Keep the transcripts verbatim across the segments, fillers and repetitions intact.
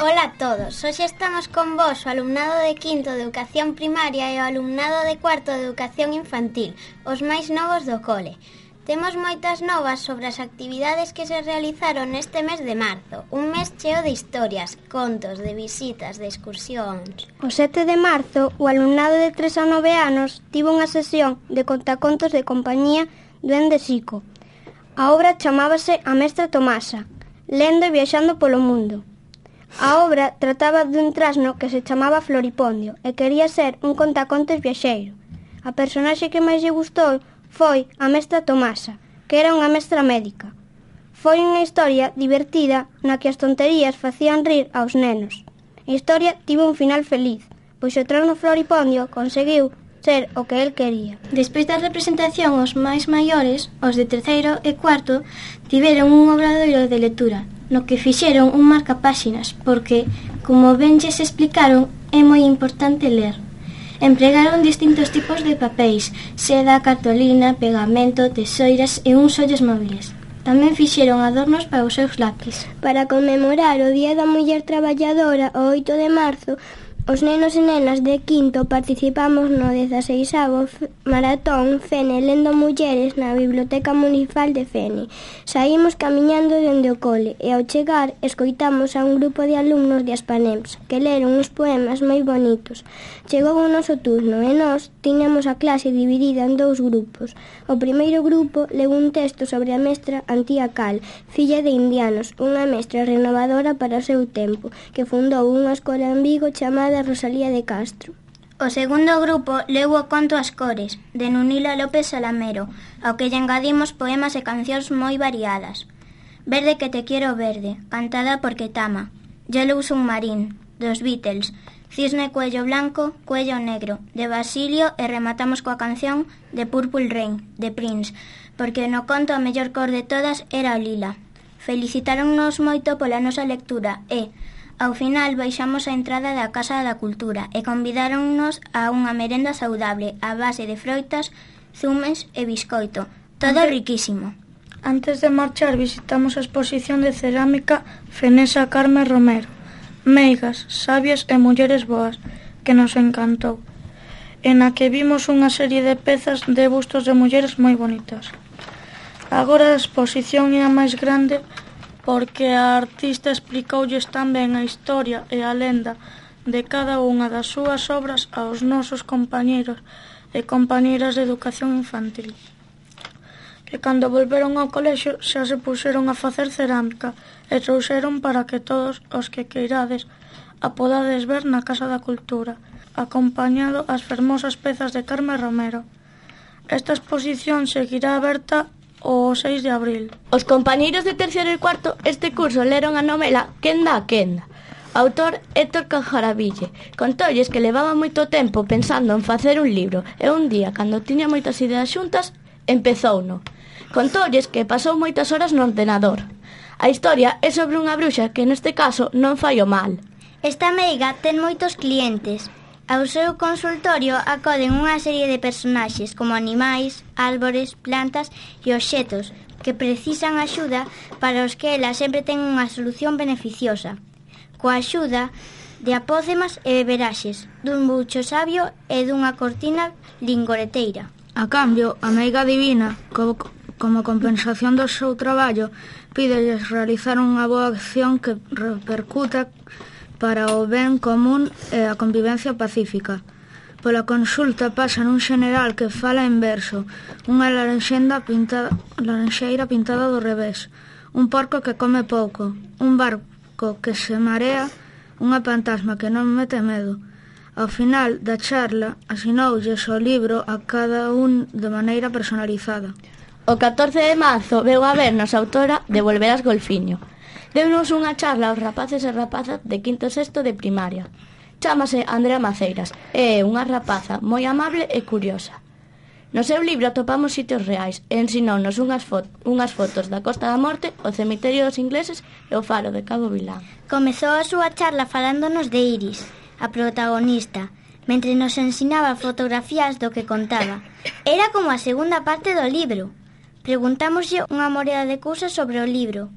Ola a todos, hoxe estamos con vos o alumnado de quinto de Educación Primaria e o alumnado de cuarto de Educación Infantil, os máis novos do cole. Temos moitas novas sobre as actividades que se realizaron neste mes de marzo, un mes cheo de historias, contos, de visitas, de excursións. O sete de marzo, o alumnado de tres a nove anos tivo unha sesión de contacontos de compañía do Ende Xico. A obra chamábase A Mestra Tomasa, lendo e viaxando polo mundo. A obra trataba dun trasno que se chamaba Floripondio e quería ser un contacontos viaxeiro. A personaxe que máis lle gustou foi a mestra Tomasa, que era unha mestra médica. Foi unha historia divertida na que as tonterías facían rir aos nenos. A historia tivo un final feliz, pois o trasno Floripondio conseguiu ser o que el quería. Despois da representación, os máis maiores, os de terceiro e cuarto, tiveron un obradoiro de lectura, no que fixeron un marcapáxinas, porque, como ben lles explicaron, é moi importante ler. Empregaron distintos tipos de papéis, seda, cartolina, pegamento, tesoiras e uns ollos móviles. Tamén fixeron adornos para os seus lápis. Para conmemorar o Día da Muller Traballadora, o oito de marzo, os nenos e nenas de quinto participamos no dezaseisavo Maratón Fene Lendo Mulleres na Biblioteca Municipal de Fene. Saímos camiñando dende o cole e ao chegar escoitamos a un grupo de alumnos de Aspanems que leron uns poemas moi bonitos. Chegou o noso turno e nós tiñamos a clase dividida en dous grupos. O primeiro grupo leu un texto sobre a mestra Antía Cal, filla de indianos, unha mestra renovadora para o seu tempo, que fundou unha escola en Vigo chamada Rosalía de Castro. O segundo grupo leu o conto As cores, de Nunila López Salamero, ao que lle engadimos poemas e cancións moi variadas. Verde que te quiero verde, cantada por Ketama. Yellow Submarine, dos Beatles. Cisne cuello blanco, cuello negro, de Basilio, e rematamos coa canción de Purple Rain, de Prince, porque no conto a mellor cor de todas era o lila. Felicitáronnos moito pola nosa lectura e, ao final, baixamos a entrada da Casa da Cultura e convidáronnos a unha merenda saudable a base de froitas, zumes e biscoito. Todo Antes, riquísimo. Antes de marchar visitamos a exposición de cerámica Fenesa Carme Romero, Meigas, sabias e mulleres boas, que nos encantou, en a que vimos unha serie de pezas de bustos de mulleres moi bonitas. Agora a exposición é a máis grande porque a artista explicoulles tamén a historia e a lenda de cada unha das súas obras aos nosos compañeiros e compañeiras de educación infantil, que cando volveron ao colexio xa se puxeron a facer cerámica e trouxeron para que todos os que queirades a podades ver na Casa da Cultura, acompañado as fermosas pezas de Carme Romero. Esta exposición seguirá aberta o seis de abril. Os compañeiros de terceiro e cuarto este curso leron a novela Quenda a Quenda. Autor Héctor Cajaraville. Contolles que levaba moito tempo pensando en facer un libro e un día, cando tiña moitas ideas xuntas, empezouno. Contolles que pasou moitas horas no ordenador. A historia é sobre unha bruxa que neste caso non fai o mal. Esta meiga ten moitos clientes. Ao seu consultorio acoden unha serie de personaxes como animais, árbores, plantas e obxetos que precisan axuda para os que ela sempre ten unha solución beneficiosa, coa axuda de apócemas e beberaxes, dun bucho sabio e dunha cortina lingoreteira. A cambio, a meiga divina, como, como compensación do seu traballo, pídelles realizar unha boa acción que repercuta para o ben común e a convivencia pacífica. Pola consulta pasan un xeneral que fala en verso, unha laranxeira pintada, laranxeira pintada do revés, un porco que come pouco, un barco que se marea, unha fantasma que non mete medo. Ao final da charla, asinoulles o libro a cada un de maneira personalizada. O catorce de marzo veu a vernos a autora de Volverás Golfiño. Deunos unha charla aos rapaces e rapazas de quinto e sexto de primaria. Chámase Andrea Maceiras e é unha rapaza moi amable e curiosa. No seu libro atopamos sitios reais e ensinounos unhas, fo- unhas fotos da Costa da Morte, o cemiterio dos ingleses e o faro de Cabo Vilán. Comezou a súa charla falándonos de Iris, a protagonista, mentre nos ensinaba fotografías do que contaba. Era como a segunda parte do libro. Preguntámoslle unha moreda de cousas sobre o libro.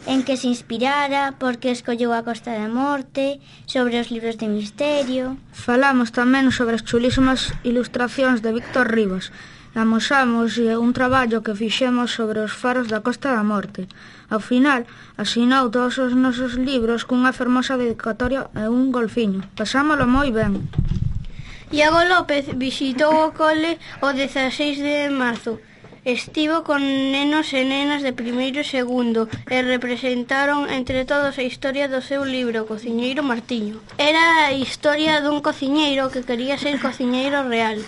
en que se inspirara, por que escolleu a Costa da Morte, sobre os libros de misterio. Falamos tamén sobre as chulísimas ilustracións de Víctor Rivas. Amosamos un traballo que fixemos sobre os faros da Costa da Morte. Ao final, asinou todos os nosos libros cunha fermosa dedicatoria e un golfiño. Pasámolo moi ben. Iago López visitou o cole o dezaseis de marzo. Estivo con nenos e nenas de primeiro e segundo e representaron entre todos a historia do seu libro Cociñeiro Martiño. Era a historia dun cociñeiro que quería ser cociñeiro real.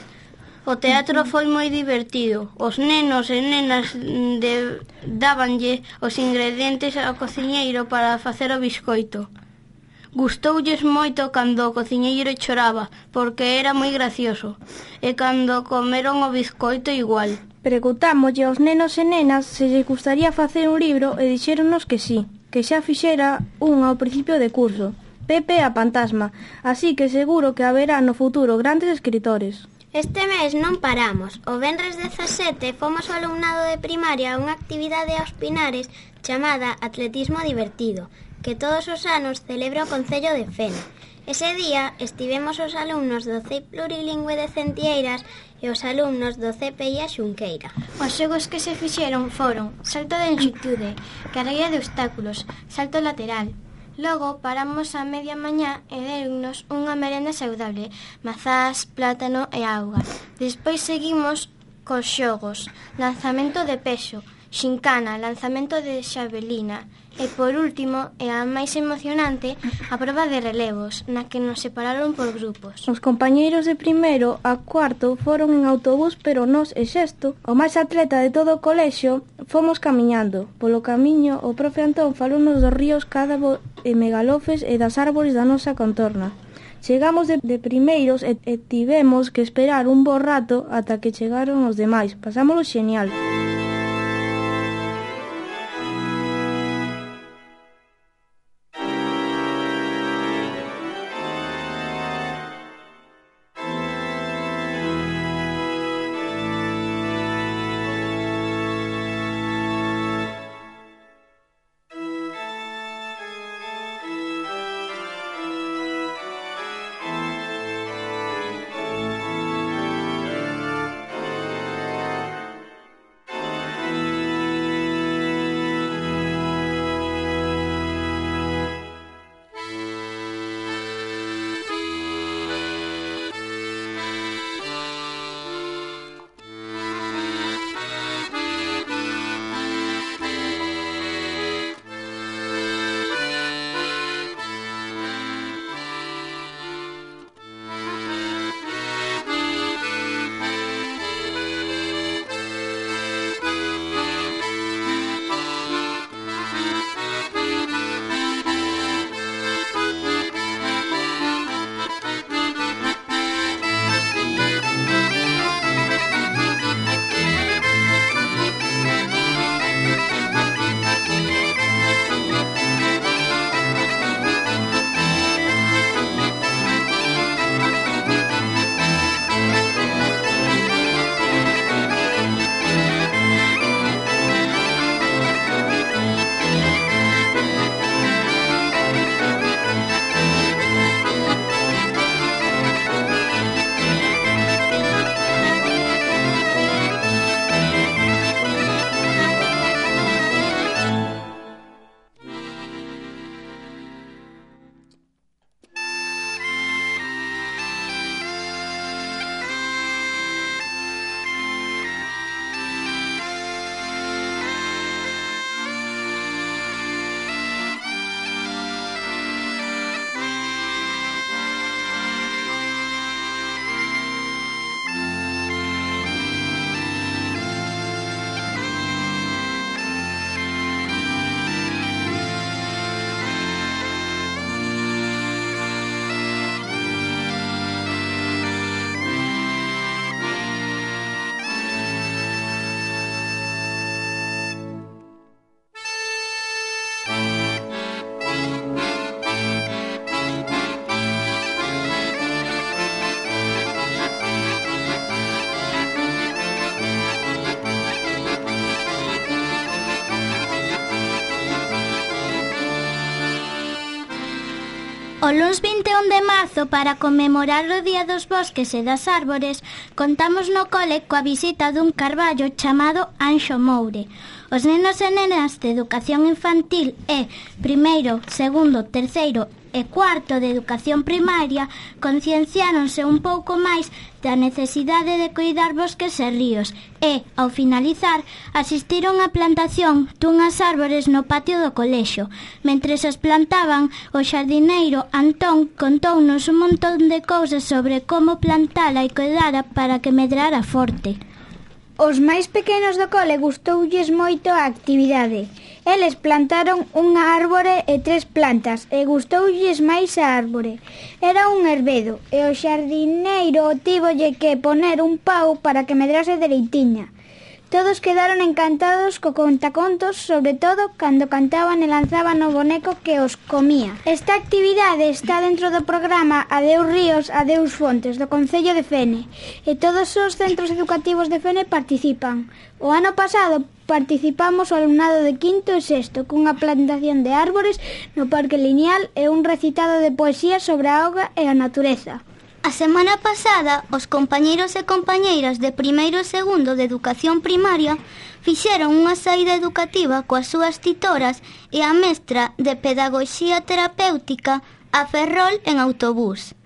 O teatro foi moi divertido. Os nenos e nenas de... dábanlle os ingredientes ao cociñeiro para facer o biscoito. Gustoulles moito cando o cociñeiro choraba, porque era moi gracioso, e cando comeron o biscoito igual. Preguntámoslle aos nenos e nenas se lles gustaría facer un libro e dixéronos que sí, que xa fixera un ao principio de curso, Pepe a Pantasma, así que seguro que haberá no futuro grandes escritores. Este mes non paramos. O venres dezasete fomos ao alumnado de primaria a unha actividade aos Pinares chamada Atletismo Divertido, que todos os anos celebra o Concello de Fene. Ese día estivemos os alumnos do C E I Plurilingüe de Centieiras e os alumnos do C P I A Xunqueira. Os xogos que se fixeron foron salto de longitude, carreira de obstáculos, salto lateral. Logo paramos a media mañá e deronnos unha merenda saudable, mazás, plátano e auga. Despois seguimos cos xogos, lanzamento de peso, xincana, lanzamento de xavelina. E por último, e a máis emocionante, a proba de relevos, na que nos separaron por grupos. Os compañeiros de primeiro a cuarto foron en autobús, pero nós e Sexto, o máis atleta de todo o colexio, fomos camiñando. Polo camiño, o profe Antón falounos dos ríos Cádabo e Megalofes e das árbores da nosa contorna. Chegamos de, de primeiros e, e tivemos que esperar un bo rato ata que chegaron os demais. Pasámolo xenial. O luns vinte e un de marzo, para conmemorar o Día dos Bosques e das Árbores, contamos no cole coa visita dun carballo chamado Anxo Moure. Os nenos e nenas de educación infantil e primeiro, segundo, terceiro e cuarto de educación primaria concienciáronse un pouco máis da necesidade de cuidar bosques e ríos e, ao finalizar, asistiron á plantación dunhas árbores no patio do colexio. Mentres as plantaban, o xardineiro Antón contounos un montón de cousas sobre como plantala e cuidara para que medrara forte. Os máis pequenos do cole gustoulles moito a actividade. Eles plantaron unha árbore e tres plantas e gustoulles máis a árbore. Era un herbedo e o xardineiro tívolle que poner un pau para que medrase dereitiña. Todos quedaron encantados co contacontos, sobre todo cando cantaban e lanzaban o boneco que os comía. Esta actividade está dentro do programa Adeus Ríos, Adeus Fontes do Concello de Fene e todos os centros educativos de Fene participan. O ano pasado participamos o alumnado de quinto e sexto cunha plantación de árbores no Parque Lineal e un recitado de poesía sobre a auga e a natureza. A semana pasada, os compañeiros e compañeiras de primeiro e segundo de educación primaria fixeron unha saída educativa coas súas titoras e a mestra de Pedagogía Terapéutica a Ferrol en autobús.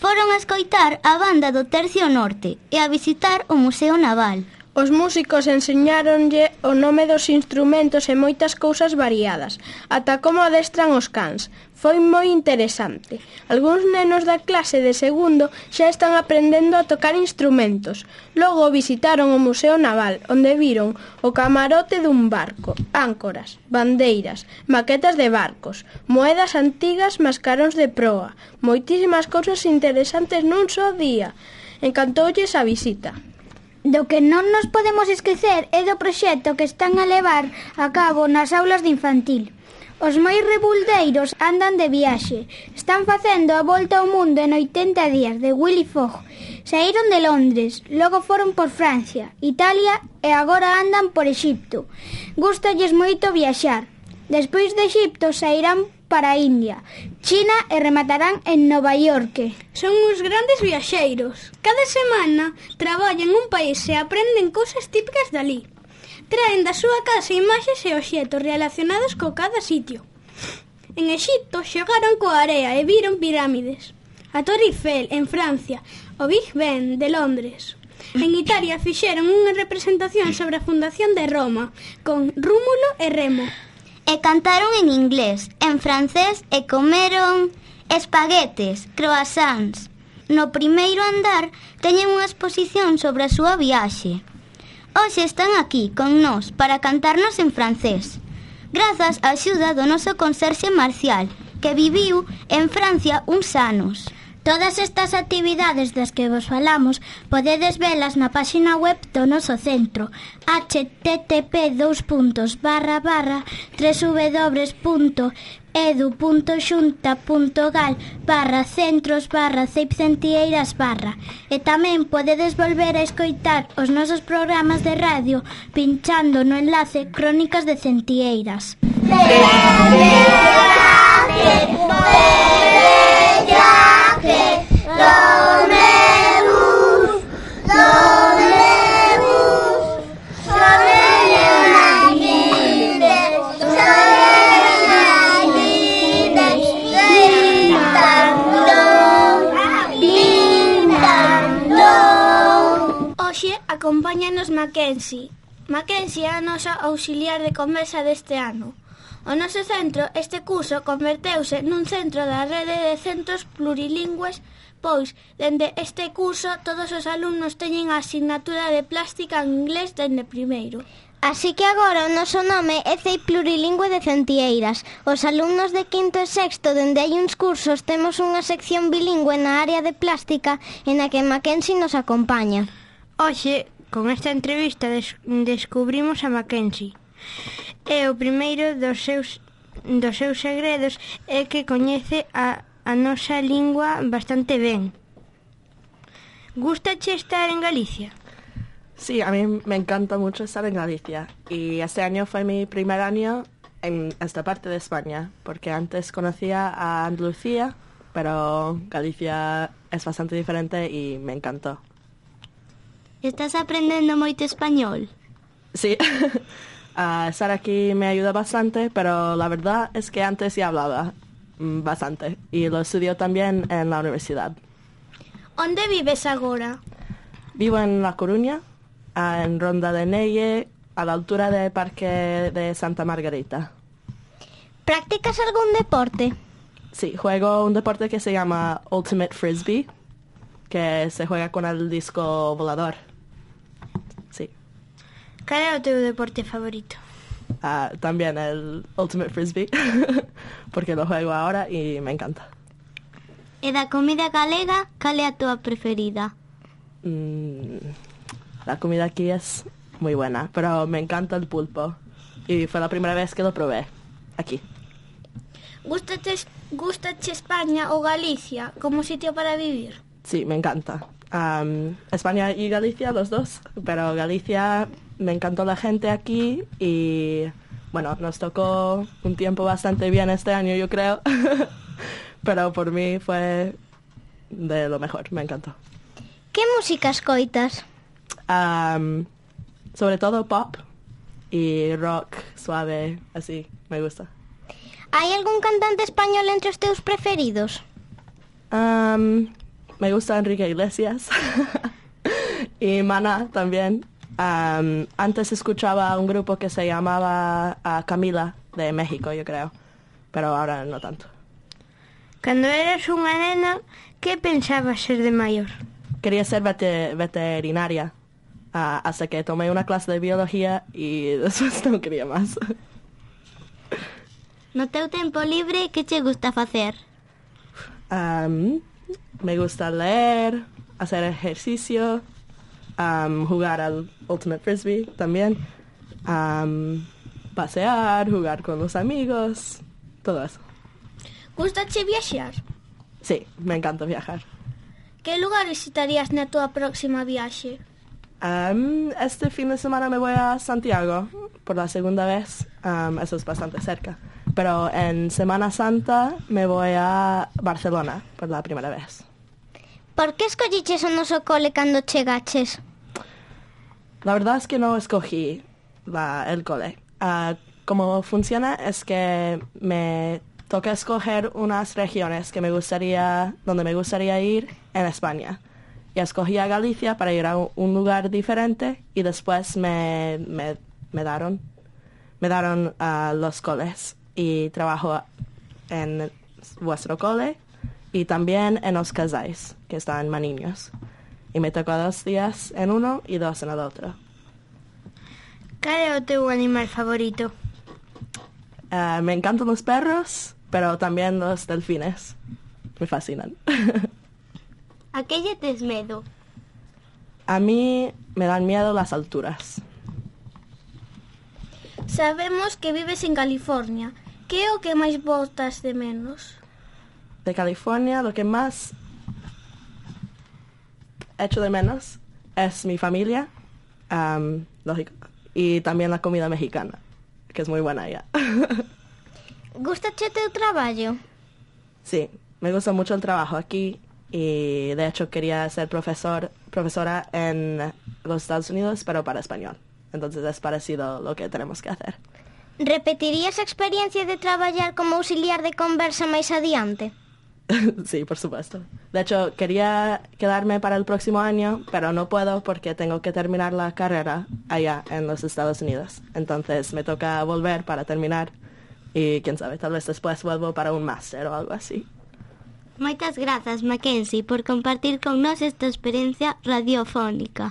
Foron a escoitar a banda do Tercio Norte e a visitar o Museo Naval. Os músicos enseñáronlle o nome dos instrumentos e moitas cousas variadas, ata como adestran os cans. Foi moi interesante. Algúns nenos da clase de segundo xa están aprendendo a tocar instrumentos. Logo visitaron o Museo Naval, onde viron o camarote dun barco, áncoras, bandeiras, maquetas de barcos, moedas antigas, mascaróns de proa, moitísimas cousas interesantes nun só día. Encantoulles a visita. Do que non nos podemos esquecer é do proxecto que están a levar a cabo nas aulas de infantil. Os moi rebuldeiros andan de viaxe. Están facendo a volta ao mundo en oitenta días de Willy Fogg. Saíron de Londres, logo foron por Francia, Italia e agora andan por Exipto. Gústalles moito viaxar. Despois de Exipto sairán para a India, China e rematarán en Nova York. Son uns grandes viaxeiros. Cada semana traballan un país e aprenden cousas típicas dali. Traen da súa casa imaxes e obxetos relacionados co cada sitio. En Exipto xogaron coa area e viron pirámides. A Torre Eiffel en Francia, o Big Ben de Londres. En Italia fixeron unha representación sobre a fundación de Roma, con Rómulo e Remo. E cantaron en inglés, en francés e comeron espaguetes, croissants. No primeiro andar teñen unha exposición sobre a súa viaxe. Hoxe están aquí con nós para cantarnos en francés, grazas á axuda do noso conserxe Marcial, que viviu en Francia uns anos. Todas estas actividades das que vos falamos podedes velas na páxina web do noso centro h t t p dos puntos barra barra w w w punto edu punto xunta punto gal barra centros barra ceipcentieiras barra e tamén podedes volver a escoitar os nosos programas de radio pinchando no enlace Crónicas de Centieiras. Hoxe acompáñanos Mackenzie. Mackenzie é a nosa auxiliar de conversa deste ano. O noso centro, este curso, converteuse nun centro da rede de centros plurilingües, pois, dende este curso, todos os alumnos teñen a asignatura de plástica en inglés dende primeiro. Así que agora o noso nome é C E I Plurilingüe de Centieiras. Os alumnos de quinto e sexto, dende hai uns cursos, temos unha sección bilingüe na área de plástica en a que Mackenzie nos acompaña. Hoxe, con esta entrevista, des- descubrimos a Mackenzie. E o primeiro dos seus, dos seus segredos é que coñece a, a nosa lingua bastante ben. Gústache estar en Galicia? Sí, a mí me encanta mucho estar en Galicia y este año fue mi primer año en esta parte de España, porque antes conocía a Andalucía pero Galicia es bastante diferente y me encantó. Estás aprendendo moito español? Sí, uh, estar aquí me ayuda bastante, pero la verdad es que antes ya hablaba mm, bastante y lo estudio también en la universidad. Onde vives agora? Vivo en La Coruña, uh, en Ronda de Neye, a la altura del Parque de Santa Margarita. ¿Practicas algún deporte? Sí, juego un deporte que se llama Ultimate Frisbee, que se juega con el disco volador. Sí. Cal é o teu deporte favorito? Uh, también el Ultimate Frisbee, porque lo juego ahora y me encanta. E da comida galega, cal é a túa preferida? Mm, la comida aquí es muy buena, pero me encanta el pulpo. Y fue la primera vez que lo probé aquí. Gústate, gústate España o Galicia como sitio para vivir? Sí, me encanta. Um, España y Galicia, los dos, pero Galicia me encantó la gente aquí y bueno, nos tocó un tiempo bastante bien este año, yo creo, pero por mí fue de lo mejor, me encantó. ¿Qué música escoitas? Um, sobre todo pop y rock suave, así, me gusta. ¿Hay algún cantante español entre os teus preferidos? Um, me gusta Enrique Iglesias y Maná también. Um, antes escuchaba un grupo que se llamaba uh, Camila, de México, yo creo, pero ahora no tanto. Cando eras unha nena, que pensabas ser de maior? Quería ser vete veterinaria, uh, hasta que tomé una clase de biología y después no quería más. No teu tempo libre, que che gusta facer? Um, me gusta leer, hacer ejercicio, um, jugar al Ultimate Frisbee también, um, pasear, jugar con los amigos, todo eso. Gústache viaxar? Sí, me encanta viajar. Que lugar visitarías na túa próxima viaxe? Um, este fin de semana me voy a Santiago por la segunda vez, um, eso es bastante cerca. Pero en Semana Santa me voy a Barcelona por la primera vez. Por que escolliches o noso cole cando chegaches? La verdad es que no escogí la, el cole. Uh, como funciona es que me toca escoger unas regiones que me gustaría, donde me gustaría ir en España. Y escogí a Galicia para ir a un lugar diferente y después me, me, me daron, me daron uh, los coles. Y trabajo en vuestro cole y también en Os Casais, que está en Maniños. Y me tocó dos días en uno y dos en el otro. Cal é o teu animal favorito? Uh, me encantan los perros, pero también los delfines. Me fascinan. A que lle tes medo? A mí me dan miedo las alturas. Sabemos que vives en California. Que é o que máis botas de menos? De California, lo que más echo de menos es mi familia, um, lógico, y también la comida mexicana, que es muy buena allá. Gústache teu traballo? Sí, me gusta mucho el trabajo aquí y de hecho quería ser profesor, profesora en los Estados Unidos, pero para español. Entonces es parecido lo que tenemos que hacer. Repetirías a experiencia de traballar como auxiliar de conversa máis adiante? Sí, por supuesto. De hecho, quería quedarme para el próximo año, pero no puedo porque tengo que terminar la carrera allá en los Estados Unidos. Entonces me toca volver para terminar y quién sabe, tal vez después vuelvo para un máster o algo así. Moitas grazas, Mackenzie, por compartir con nós esta experiencia radiofónica.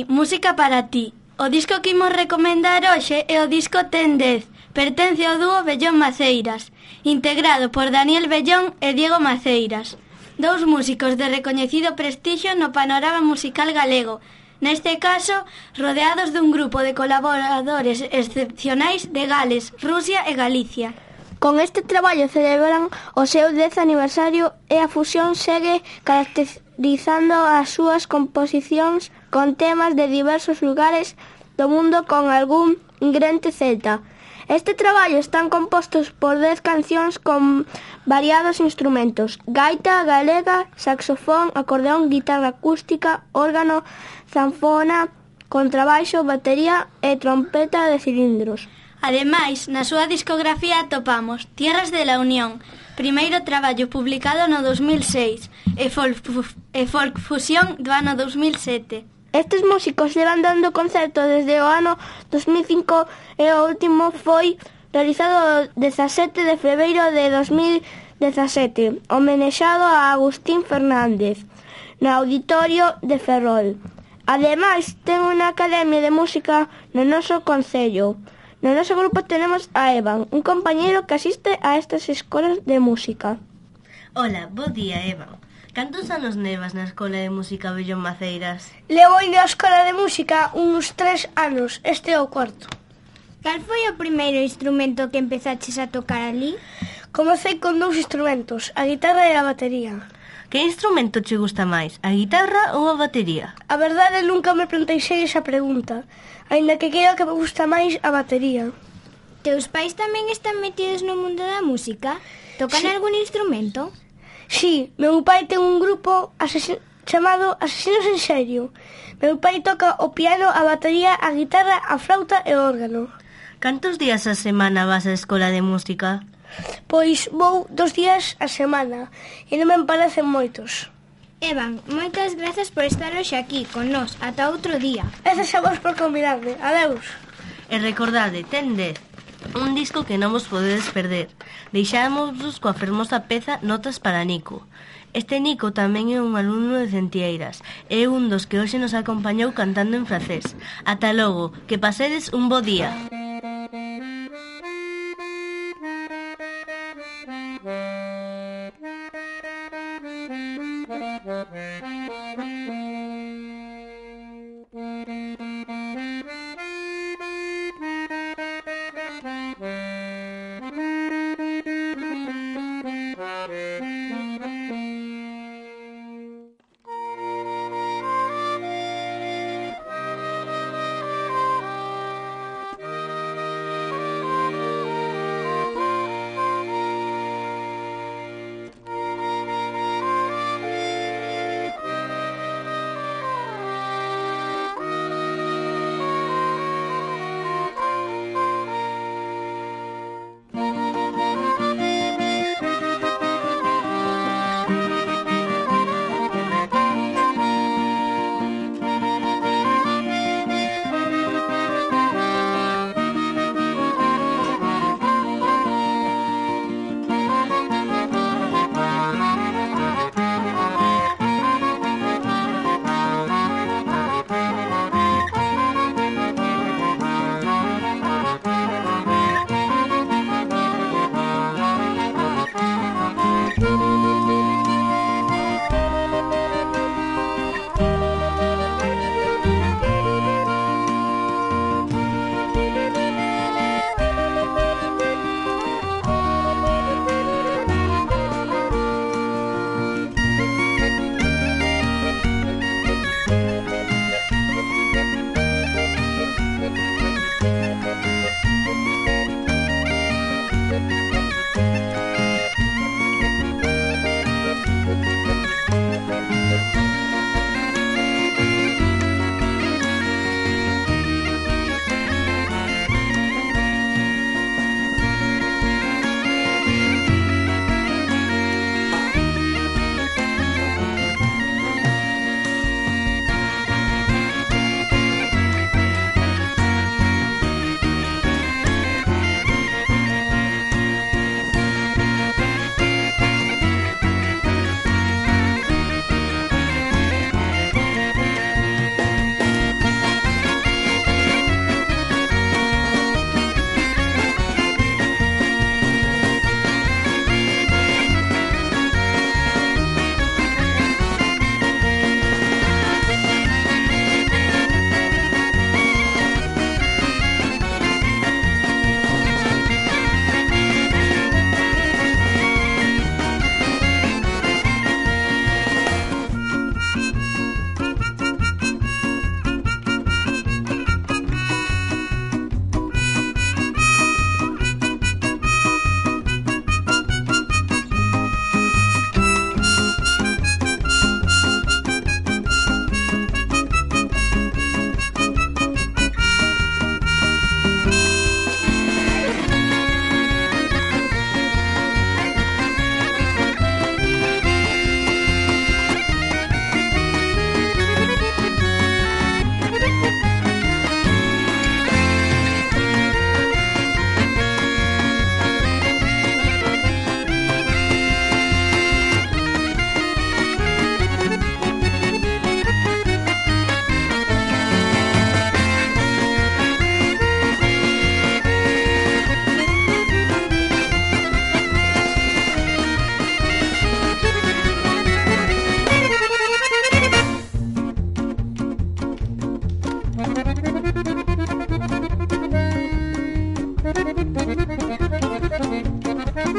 Dani, música para ti. O disco que imos recomendar hoxe é o disco Ten dez. Pertence ao dúo Bellón Maceiras, integrado por Daniel Bellón e Diego Maceiras, dous músicos de recoñecido prestixio no panorama musical galego, neste caso rodeados dun grupo de colaboradores excepcionais de Gales, Rusia e Galicia. Con este traballo celebran o seu dez aniversario e a fusión segue caracterizando as súas composicións con temas de diversos lugares do mundo con algún ingrediente celta. Este traballo están compostos por dez cancións con variados instrumentos: gaita galega, saxofón, acordeón, guitarra acústica, órgano, zanfona, contrabaixo, batería e trompeta de cilindros. Ademais, na súa discografía atopamos Tierras de la Unión, primeiro traballo publicado no dos mil seis, e Folk, e Folk Fusión do ano dos mil sete. Estes músicos levan dando concerto desde o ano dos mil cinco e o último foi realizado o dezasete de febreiro de dos mil dezasete, homenexado a Agustín Fernández, no Auditorio de Ferrol. Ademais, ten unha academia de música no noso concello. No noso grupo tenemos a Evan, un compañeiro que asiste a estas escolas de música. Hola, bo día, Evan. Cantos anos nevas na Escola de Música Bellón Maceiras? Levo indo á Escola de Música uns tres anos, este é o cuarto. Cal foi o primeiro instrumento que empezaches a tocar ali? Comecei con dous instrumentos, a guitarra e a batería. Que instrumento che gusta máis, a guitarra ou a batería? A verdade, nunca me planteixei esa pregunta, aínda que creo que me gusta máis a batería. Teus pais tamén están metidos no mundo da música? Tocan sí. algún instrumento? Sí, meu pai ten un grupo asesin- chamado Asesinos en Serio. Meu pai toca o piano, a batería, a guitarra, a flauta e o órgano. Cantos días a semana vas á Escola de Música? Pois vou dos días a semana e non me parecen moitos. Evan, moitas grazas por estar hoxe aquí con nós. Ata outro día. Grazas a vos por convidarme. Adeus. E recordade, Ten dez, un disco que non vos podedes perder. Deixámosvos coa fermosa peza Notas para Nico. Este Nico tamén é un alumno de Centieiras. É un dos que hoxe nos acompañou cantando en francés. Ata logo, que pasedes un bo día.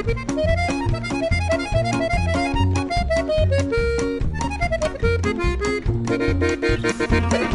Thank you.